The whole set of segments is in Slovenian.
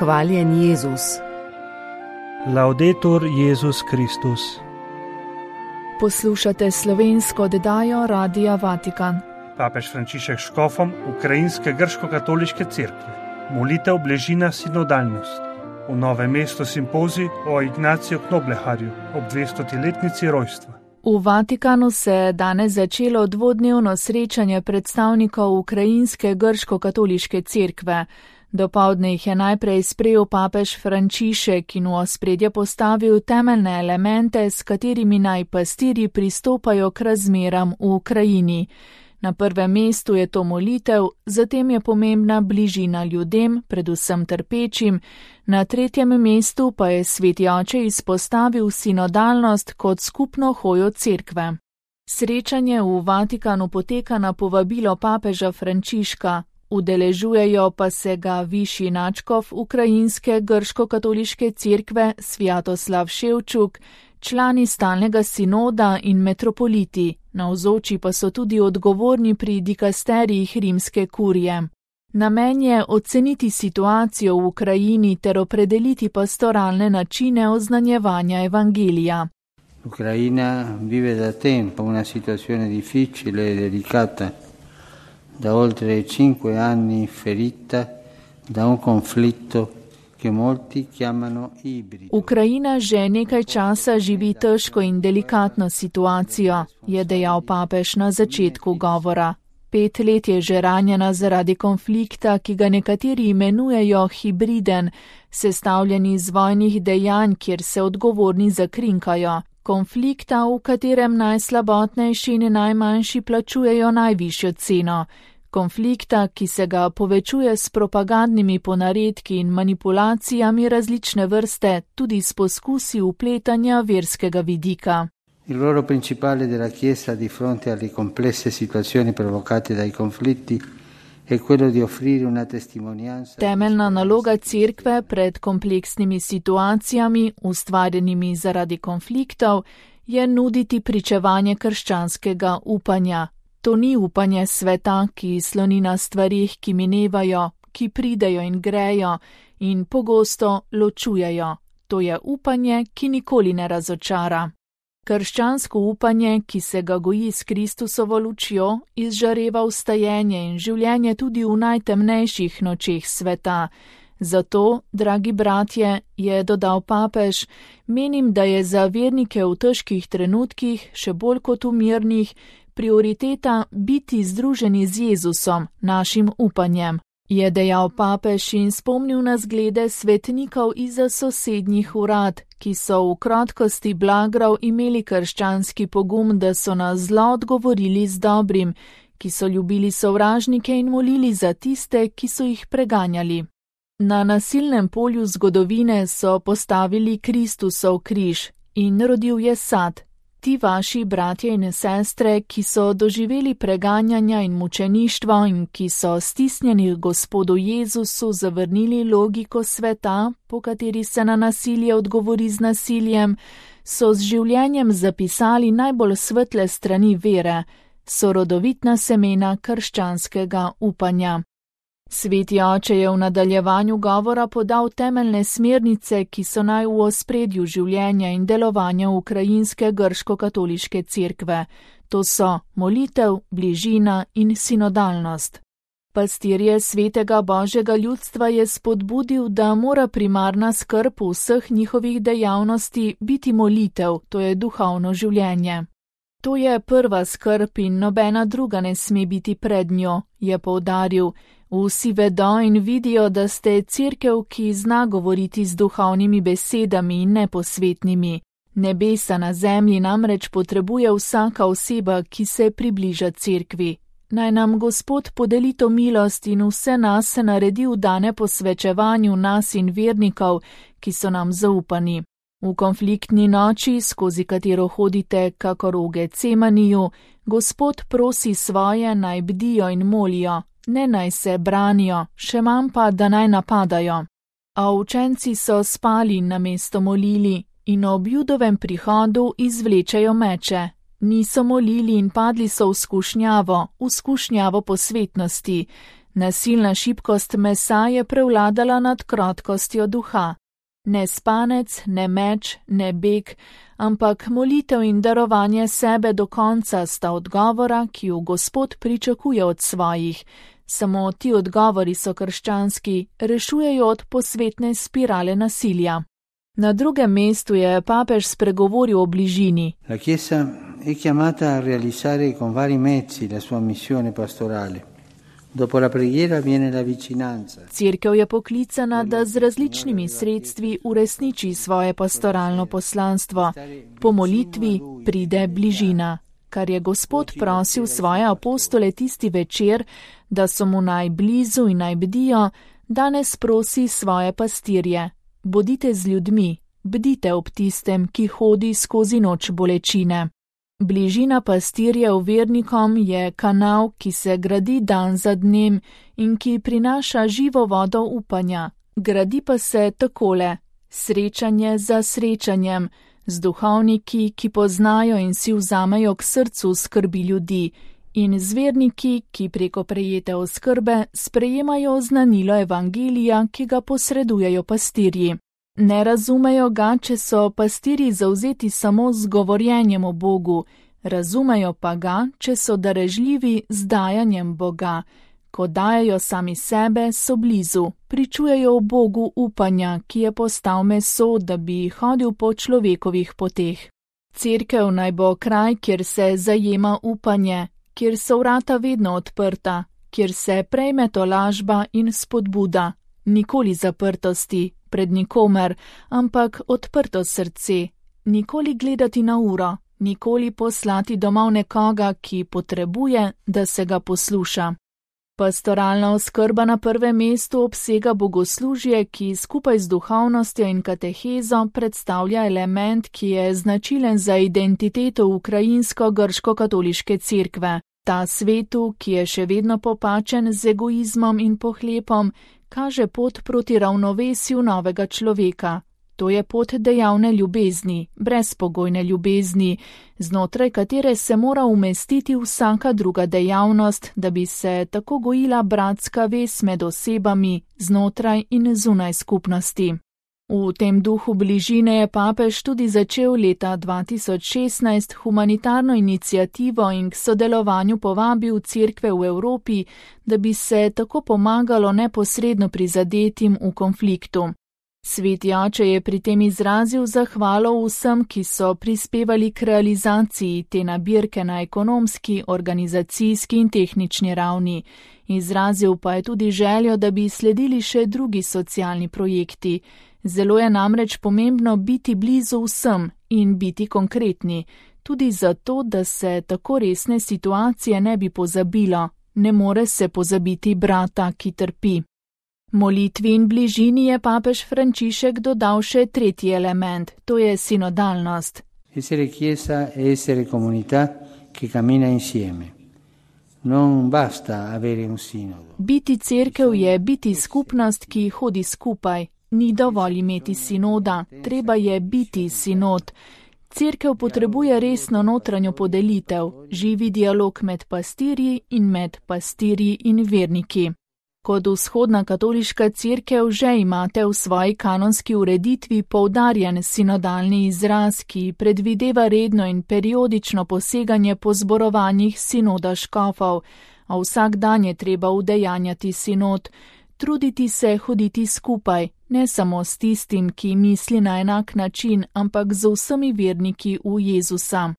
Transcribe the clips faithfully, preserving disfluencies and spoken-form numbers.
Hvaljen Jezus. Laudetur Jezus Kristus. Poslušate slovensko oddajo Radia Vatikan. Papež Frančišek škofom Ukrajinske grško-katoliške cerkve. Molitev Bležina sinodalnost. V Novem mestu simpozij o Ignaciju Knobleharju ob dvestoletnici rojstva. V Vatikanu se je danes začelo dvodnevno srečanje predstavnikov Ukrajinske grško-katoliške cerkve. Dopoldne jih je najprej sprejel papež Frančišek in v ospredje postavil temeljne elemente, s katerimi naj pastirji pristopajo k razmeram v Ukrajini. Na prvem mestu je to molitev, zatem je pomembna bližina ljudem, predvsem trpečim, na tretjem mestu pa je sveti oče izpostavil sinodalnost kot skupno hojo cerkve. Srečanje v Vatikanu poteka na povabilo papeža Frančiška, udeležujejo pa se ga višji nadškof Ukrajinske grško-katoliške cerkve Svjatoslav Ševčuk, člani stalnega sinoda in metropoliti, navzoči pa so tudi odgovorni pri dikasterijih rimske kurije. Namen je oceniti situacijo v Ukrajini ter opredeliti pastoralne načine oznanjevanja evangelija. L'Ucraina vive da tempo una situazione difficile e delicata, da oltre cinque anni ferita da un conflitto che molti chiamano ibrido. Ukrajina že nekaj časa živi težko in delikatno situacijo, je dejal papež na začetku govora. Pet let je že ranjena zaradi konflikta, ki ga nekateri imenujejo hibriden, sestavljen iz vojnih dejanj, kjer se odgovorni zakrinkajo. Konflikta, v katerem najslabotnejši in najmanjši plačujejo najvišjo ceno. Konflikta, ki se ga povečuje s propagandnimi ponaredki in manipulacijami različne vrste, tudi s poskusi vpletanja verskega vidika. Il ruolo principale della Chiesa di fronte alle complesse situazioni provocate dai conflitti è quello di offrire una testimonianza. Temeljna naloga cerkve pred kompleksnimi situacijami, ustvarjenimi zaradi konfliktov, je nuditi pričevanje krščanskega upanja. To ni upanje sveta, ki sloni na stvarih, ki minevajo, ki pridejo in grejo in pogosto ločujejo. To je upanje, ki nikoli ne razočara. Krščansko upanje, ki se ga goji s Kristusovo lučjo, izžareva vstajenje in življenje tudi v najtemnejših nočeh sveta. Zato, dragi bratje, je dodal papež, menim, da je za vernike v težkih trenutkih, še bolj kot v mirnih, prioriteta biti združeni z Jezusom, našim upanjem. Je dejal papež in spomnil na zglede svetnikov izza sosednjih urad, ki so v krotkosti blagrov imeli krščanski pogum, da so na zlo odgovorili z dobrim, ki so ljubili sovražnike in molili za tiste, ki so jih preganjali. Na nasilnem polju zgodovine so postavili Kristusov križ in rodil je sad. Ti vaši bratje in sestre, ki so doživeli preganjanja in mučeništvo in ki so stisnjeni Gospodu Jezusu zavrnili logiko sveta, po kateri se na nasilje odgovori z nasiljem, so z življenjem zapisali najbolj svetle strani vere, so rodovitna semena krščanskega upanja. Sveti oče je v nadaljevanju govora podal temeljne smernice, ki so naj v ospredju življenja in delovanja Ukrajinske grško-katoliške cerkve. To so molitev, bližina in sinodalnost. Pastirje svetega Božjega ljudstva je spodbudil, da mora primarna skrb vseh njihovih dejavnosti biti molitev, to je duhovno življenje. To je prva skrb in nobena druga ne sme biti pred njo, je poudaril. Vsi vedo in vidijo, da ste cerkev, ki zna govoriti z duhovnimi besedami in neposvetnimi. Nebesa na zemlji namreč potrebuje vsaka oseba, ki se približa cerkvi. Naj nam Gospod podeli to milost in vse nas se naredi vdane posvečevanju nas in vernikov, ki so nam zaupani. V konfliktni noči, skozi katero hodite kakor v Getsemaniju, Gospod prosi svoje, naj bdijo in molijo. Ne naj se branijo, še manj pa, da naj napadajo. A učenci so spali namesto molili in ob Judovem prihodu izvlečejo meče. Niso molili in padli so v skušnjavo, v skušnjavo posvetnosti. Nasilna šibkost mesa je prevladala nad krotkostjo duha. Ne spanec, ne meč, ne beg, ampak molitev in darovanje sebe do konca sta odgovora, ki ju Gospod pričakuje od svojih. Samo ti odgovori so krščanski, rešujejo od posvetne spirale nasilja. Na drugem mestu je papež spregovoril o bližini. La Chiesa è chiamata a realizzare con vari mezzi la sua missione pastorale. Dopo la preghiera viene la vicinanza. Cerkev je poklicana, da z različnimi sredstvi uresniči svoje pastoralno poslanstvo. Po molitvi pride bližina, kar je Gospod prosil svoje apostole tisti večer, da so mu naj blizu in naj bdijo, danes prosi svoje pastirje. Bodite z ljudmi, bdite ob tistem, ki hodi skozi noč bolečine. Bližina pastirjev vernikom je kanal, ki se gradi dan za dnem in ki prinaša živo vodo upanja. Gradi pa se takole, srečanje za srečanjem, z duhovniki, ki poznajo in si vzamejo k srcu skrbi ljudi, in z verniki, ki preko prejete oskrbe sprejemajo znanilo evangelija, ki ga posredujejo pastirji. Ne razumejo ga, če so pastirji zavzeti samo z govorjenjem o Bogu, razumejo pa ga, če so darežljivi z dajanjem Boga. Ko dajajo sami sebe, so blizu, pričujejo o Bogu upanja, ki je postal meso, da bi hodil po človekovih poteh. Cerkev naj bo kraj, kjer se zajema upanje, kjer so vrata vedno odprta, kjer se prejme tolažba in spodbuda, nikoli zaprtosti pred nikomer, ampak odprto srce, nikoli gledati na uro, nikoli poslati domov nekoga, ki potrebuje, da se ga posluša. Pastoralna oskrba na prvem mestu obsega bogoslužje, ki skupaj z duhovnostjo in katehezo predstavlja element, ki je značilen za identiteto ukrajinsko-grško-katoliške cerkve. Ta svetu, ki je še vedno popačen z egoizmom in pohlepom, kaže pot proti ravnovesju novega človeka. To je pot dejavne ljubezni, brezpogojne ljubezni, znotraj katere se mora umestiti vsaka druga dejavnost, da bi se tako gojila bratska vez med osebami znotraj in zunaj skupnosti. V tem duhu bližine je papež tudi začel leta dva tisoč šestnajst humanitarno iniciativo in k sodelovanju povabil cerkve v Evropi, da bi se tako pomagalo neposredno prizadetim v konfliktu. Sveti oče je pri tem izrazil zahvalo vsem, ki so prispevali k realizaciji te nabirke na ekonomski, organizacijski in tehnični ravni. Izrazil pa je tudi željo, da bi sledili še drugi socialni projekti. Zelo je namreč pomembno biti blizu vsem in biti konkretni, tudi zato, da se tako resne situacije ne bi pozabilo. Ne more se pozabiti brata, ki trpi. Molitvi in bližini je papež Frančišek dodal še tretji element, to je sinodalnost. Essere chiesa è essere comunità che cammina insieme. Non basta avere un sinodo. Biti cerkev je biti skupnost, ki hodi skupaj. Ni dovolj imeti sinoda, treba je biti sinod. Cerkev potrebuje resno notranjo podelitev, živi dialog med pastirji in med pastirji in verniki. Kot vzhodna katoliška cerkev že imate v svoji kanonski ureditvi poudarjen sinodalni izraz, ki predvideva redno in periodično poseganje po zborovanjih sinoda škofov, a vsak dan je treba udejanjati sinod, truditi se hoditi skupaj, ne samo s tistim, ki misli na enak način, ampak z vsemi verniki v Jezusa.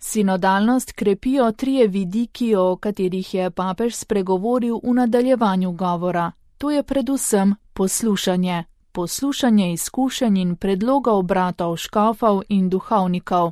Sinodalnost krepijo trije vidiki, o katerih je papež spregovoril v nadaljevanju govora. To je predvsem poslušanje. Poslušanje izkušenj in predlogov bratov škofov in duhovnikov.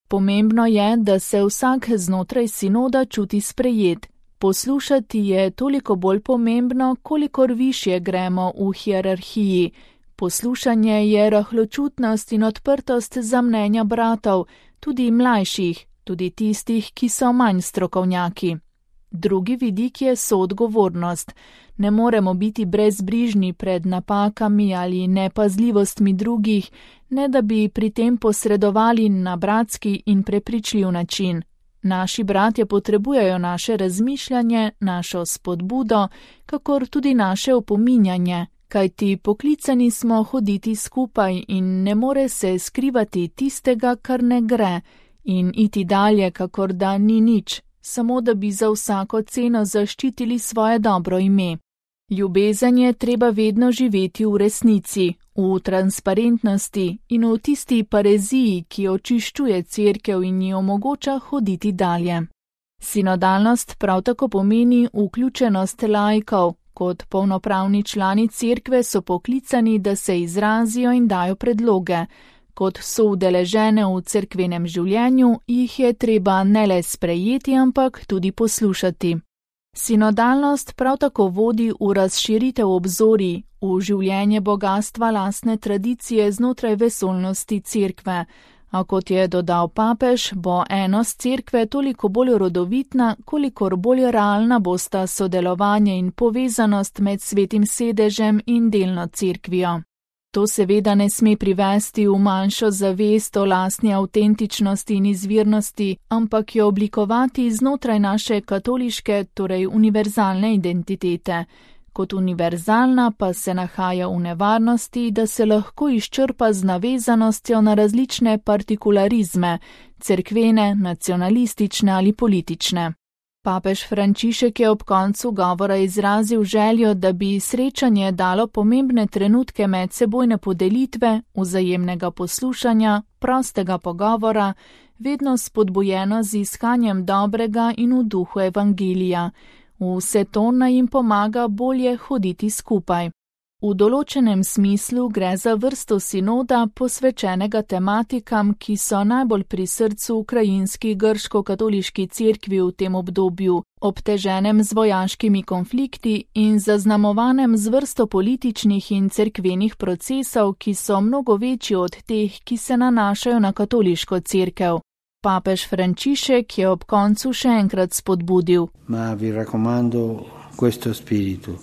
Pomembno je, da se vsak znotraj sinoda čuti sprejet. Poslušati je toliko bolj pomembno, kolikor višje gremo v hierarhiji. Poslušanje je rahločutnost in odprtost za mnenja bratov, tudi mlajših, tudi tistih, ki so manj strokovnjaki. Drugi vidik je soodgovornost. Ne moremo biti brezbrižni pred napakami ali nepazljivostmi drugih, ne da bi pri tem posredovali na bratski in prepričljiv način. Naši bratje potrebujejo naše razmišljanje, našo spodbudo, kakor tudi naše opominjanje, kajti poklicani smo hoditi skupaj in ne more se skrivati tistega, kar ne gre, in iti dalje, kakor da ni nič, samo da bi za vsako ceno zaščitili svoje dobro ime. Ljubezen je treba vedno živeti v resnici, v transparentnosti in v tisti pareziji, ki očiščuje cerkev in ji omogoča hoditi dalje. Sinodalnost prav tako pomeni vključenost laikov. Kot polnopravni člani cerkve so poklicani, da se izrazijo in dajo predloge. Kot so udeležene v cerkvenem življenju, jih je treba ne le sprejeti, ampak tudi poslušati. Sinodalnost prav tako vodi v razširitev obzorij, v življenje bogatstva lastne tradicije znotraj vesoljnosti cerkve, a kot je dodal papež, bo enost cerkve toliko bolj rodovitna, kolikor bolj realna bosta sodelovanje in povezanost med svetim sedežem in delno cerkvijo. To seveda ne sme privesti v manjšo zavest o lastni avtentičnosti in izvirnosti, ampak jo oblikovati znotraj naše katoliške, torej univerzalne identitete. Kot univerzalna pa se nahaja v nevarnosti, da se lahko izčrpa z navezanostjo na različne partikularizme, cerkvene, nacionalistične ali politične. Papež Frančišek je ob koncu govora izrazil željo, da bi srečanje dalo pomembne trenutke medsebojne podelitve, vzajemnega poslušanja, prostega pogovora, vedno spodbujeno z iskanjem dobrega in v duhu evangelija. Vse to naj jim pomaga bolje hoditi skupaj. V določenem smislu gre za vrsto sinoda posvečenega tematikam, ki so najbolj pri srcu ukrajinski grško-katoliški cerkvi v tem obdobju, obteženem z vojaškimi konflikti in zaznamovanem z vrsto političnih in cerkvenih procesov, ki so mnogo večji od teh, ki se nanašajo na katoliško cerkev. Papež Frančišek je ob koncu še enkrat spodbudil. Ma vi raccomando questo spiritu.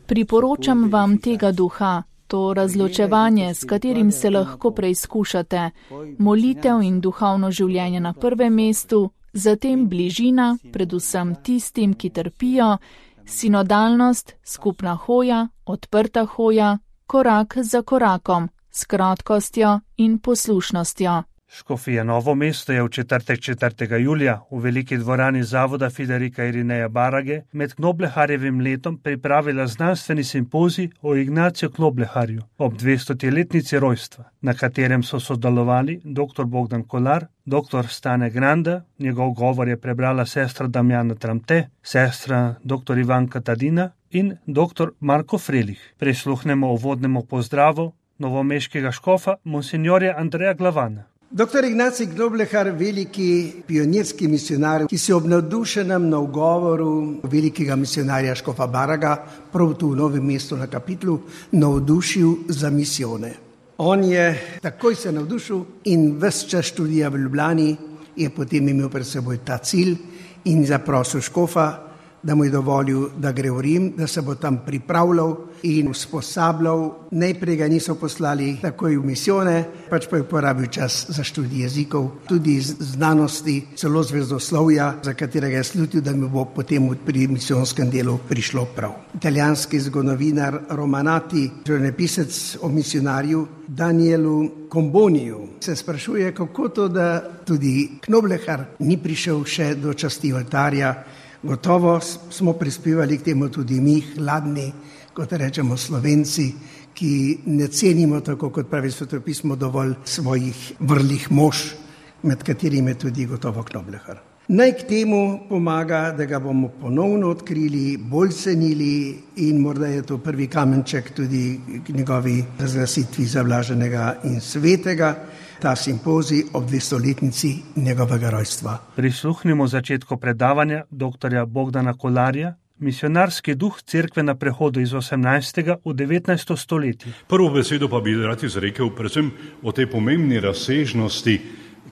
Priporočam vam tega duha, to razločevanje, s katerim se lahko preizkušate, molitev in duhovno življenje na prvem mestu, zatem bližina, predvsem tistim, ki trpijo, sinodalnost, skupna hoja, odprta hoja, korak za korakom, s krotkostjo in poslušnostjo. Škofija Novo mesto je v četrtek četrtega julija v veliki dvorani zavoda Fiderika Irineja Barage med Knobleharjevim letom pripravila znanstveni simpozij o Ignaciju Knobleharju ob dvestoletnici rojstva, na katerem so sodelovali dr. Bogdan Kolar, dr. Stane Granda, njegov govor je prebrala sestra Damjana Tramte, sestra dr. Ivanka Tadina in dr. Marko Frelih. Prisluhnemo uvodnemu pozdravu novomeškega škofa monsinjorja Andreja Glavana. Doktor Ignacij Knoblehar, veliki pionirski misionar, ki se ob navdušenem nagovoru velikega misionarja škofa Baraga, prav tu v Novem mestu na kapitlu, navdušil za misijone. On je takoj se navdušil in ves čas študija v Ljubljani je potem imel pred seboj ta cilj in zaprosil škofa, da mu je dovolil, da gre v Rim, da se bo tam pripravljal in usposabljal. Najprej ga niso poslali takoj v misijone, pač pa je uporabil čas za študij jezikov, tudi znanosti, celo zvezdoslovja, za katerega je slutil, da mi bo potem pri misijonskem delu prišlo prav. Italijanski zgodovinar Romanati, življenjepisec o misionarju Danielu Comboniju, se sprašuje, kako to, da tudi Knoblehar ni prišel še do časti oltarja. Gotovo smo prispevali k temu tudi mi, hladni, kot rečemo Slovenci, ki ne cenimo, tako kot pravi svetopismo, dovolj svojih vrlih mož, med katerimi je tudi gotovo Knoblehar. Naj k temu pomaga, da ga bomo ponovno odkrili, bolj cenili in morda je to prvi kamenček tudi k njegovi razglasitvi za blaženega in svetega, ta simpozij ob dvestoletnici njegovega rojstva. Prisluhnimo začetku predavanja doktorja Bogdana Kolarja, misionarski duh cerkve na prehodu iz osemnajstega v devetnajsto stoletje. Prvo besedo pa bi rad izrekel predvsem o tej pomembni razsežnosti,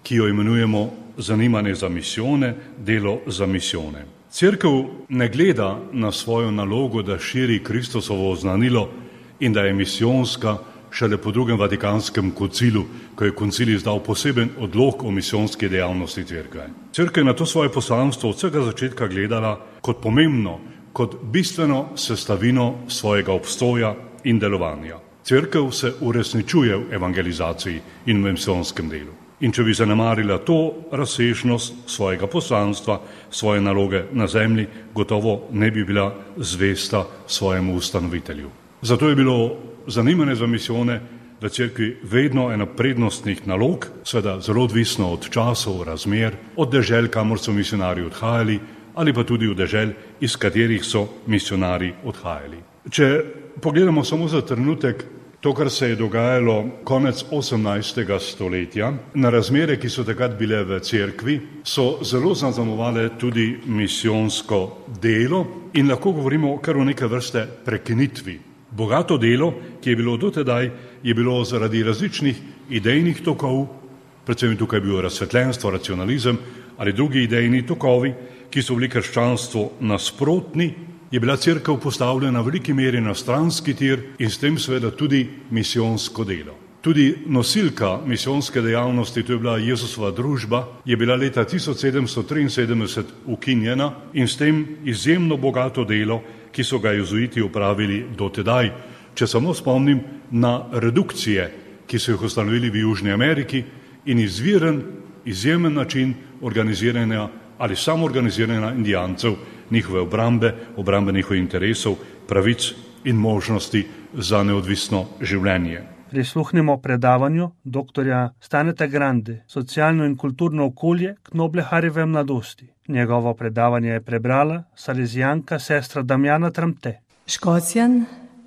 ki jo imenujemo zanimanje za misijone, delo za misijone. Cerkev ne gleda na svojo nalogo, da širi Kristusovo oznanilo in da je misijonska šele po drugem Vatikanskem koncilu, ko je koncil izdal poseben odlok o misijonski dejavnosti cerkve. Cerkev je na to svoje poslanstvo od vsega začetka gledala kot pomembno, kot bistveno sestavino svojega obstoja in delovanja. Cerkev se uresničuje v evangelizaciji in v misijonskem delu. In če bi zanemarila to razsežnost svojega poslanstva, svoje naloge na zemlji, gotovo ne bi bila zvesta svojemu ustanovitelju. Zato je bilo zanimanje za misijone v cerkvi vedno ena prednostnih nalog, seveda zelo odvisno od časov, razmer, od dežel, kamor so misionarji odhajali, ali pa tudi od dežel, iz katerih so misionarji odhajali. Če pogledamo samo za trenutek to, kar se je dogajalo konec osemnajstega stoletja, na razmere, ki so takrat bile v cerkvi, so zelo zaznamovale tudi misijonsko delo in lahko govorimo kar o neke vrste prekinitvi. Bogato delo, ki je bilo dotedaj, je bilo zaradi različnih idejnih tokov, predvsem tukaj je bilo razsvetljenstvo, racionalizem ali drugi idejni tokovi, ki so bili krščanstvu nasprotni, je bila cerkev postavljena v veliki meri na stranski tir in s tem seveda tudi misijonsko delo. Tudi nosilka misijonske dejavnosti, to je bila Jezusova družba, je bila leta tisoč sedemsto triinsedemdeset ukinjena in s tem izjemno bogato delo, ki so ga jezuiti opravili dotedaj. Če samo spomnim na redukcije, ki so jih ustanovili v Južni Ameriki in izviren, izjemen način organiziranja ali samoorganiziranja indijancev, njihove obrambe, obrambe njihovih interesov, pravic in možnosti za neodvisno življenje. Prisluhnimo predavanju doktorja Staneta Grande, socialno in kulturno okolje Knobleharjeve mladosti. Njegovo predavanje je prebrala salezijanka sestra Damjana Tramte. Škocjan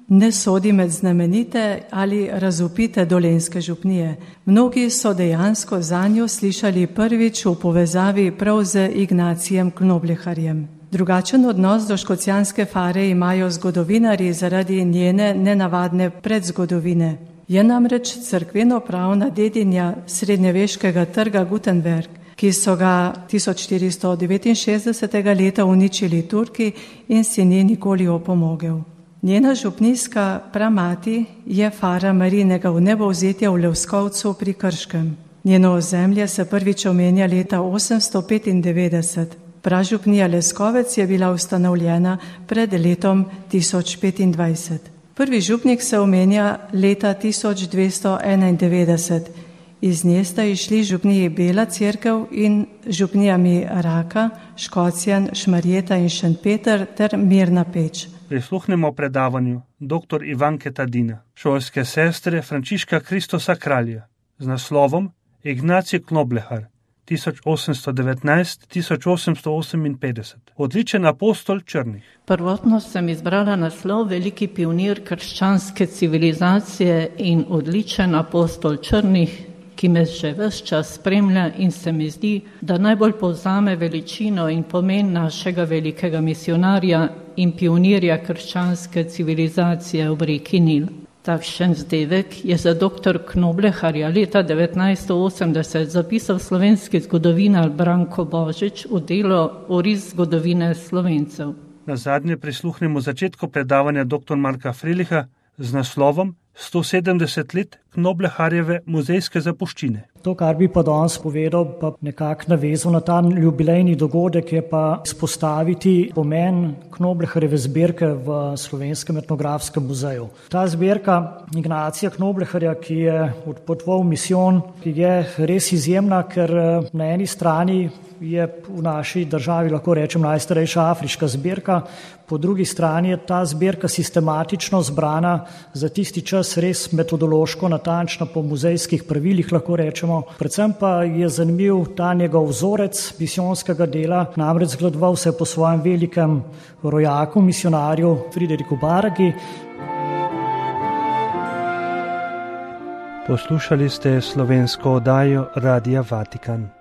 ne sodi med znamenite ali razvpite dolenjske župnije. Mnogi so dejansko zanjo slišali prvič v povezavi prav z Ignacijem Knobleharjem. Drugačen odnos do škocjanske fare imajo zgodovinarji zaradi njene nenavadne predzgodovine. Je namreč cerkveno-pravna dedinja srednjeveškega trga Gutenberg, ki so ga tisoč štiristo devetinšestdesetega leta uničili Turki in si ni nikoli opomogel. Njena župnijska pramati je fara Marijinega vnebovzetja v Levskovcu pri Krškem. Njeno ozemlje se prvič omenja leta osemsto petindevetdeset. Pražupnija Leskovec je bila ustanovljena pred letom tisoč petindvajset. Prvi župnik se omenja leta tisoč dvesto enaindevetdeset. Iz nje sta išli župniji Bela cerkev in župnijami Raka, Škocjan, Šmarjeta in Šentpeter ter Mirna Peč. Prisluhnemo predavanju dr. Ivanke Tadina, šolske sestre Frančiška Kristosa Kralja, z naslovom Ignacij Knoblehar, tisoč osemsto devetnajst do tisoč osemsto oseminpetdeset. Odličen apostol črnih. Prvotno sem izbrala naslov Veliki pionir krščanske civilizacije in odličen apostol črnih, ki me že ves čas spremlja in se mi zdi, da najbolj povzame veličino in pomen našega velikega misionarja in pionirja krščanske civilizacije v reki Nil. Takšen zdevek je za doktor Knobleharja leta devetnajststo osemdeset zapisal slovenski zgodovinar Branko Božič v delo Oris zgodovine Slovencev. Nazadnje prisluhnemo začetku predavanja dr. Marka Freliha z naslovom sto sedemdeset let Knobleharjeve muzejske zapuščine. To, kar bi pa danes povedal, pa nekako navezal na ta jubilejni dogodek, je pa izpostaviti pomen Knobleharjeve zbirke v Slovenskem etnografskem muzeju. Ta zbirka Ignacija Knobleharja, ki je odpotoval v misijon, ki je res izjemna, ker na eni strani je v naši državi, lahko rečem, najstarejša afriška zbirka, po drugi strani je ta zbirka sistematično zbrana za tisti čas res metodološko natančna po muzejskih pravilih, lahko rečemo. Predvsem pa je zanimiv ta njegov vzorec misijonskega dela, namreč zgledoval se po svojem velikem rojaku, misionarju Frideriku Baragi. Poslušali ste slovensko oddajo Radia Vatikan.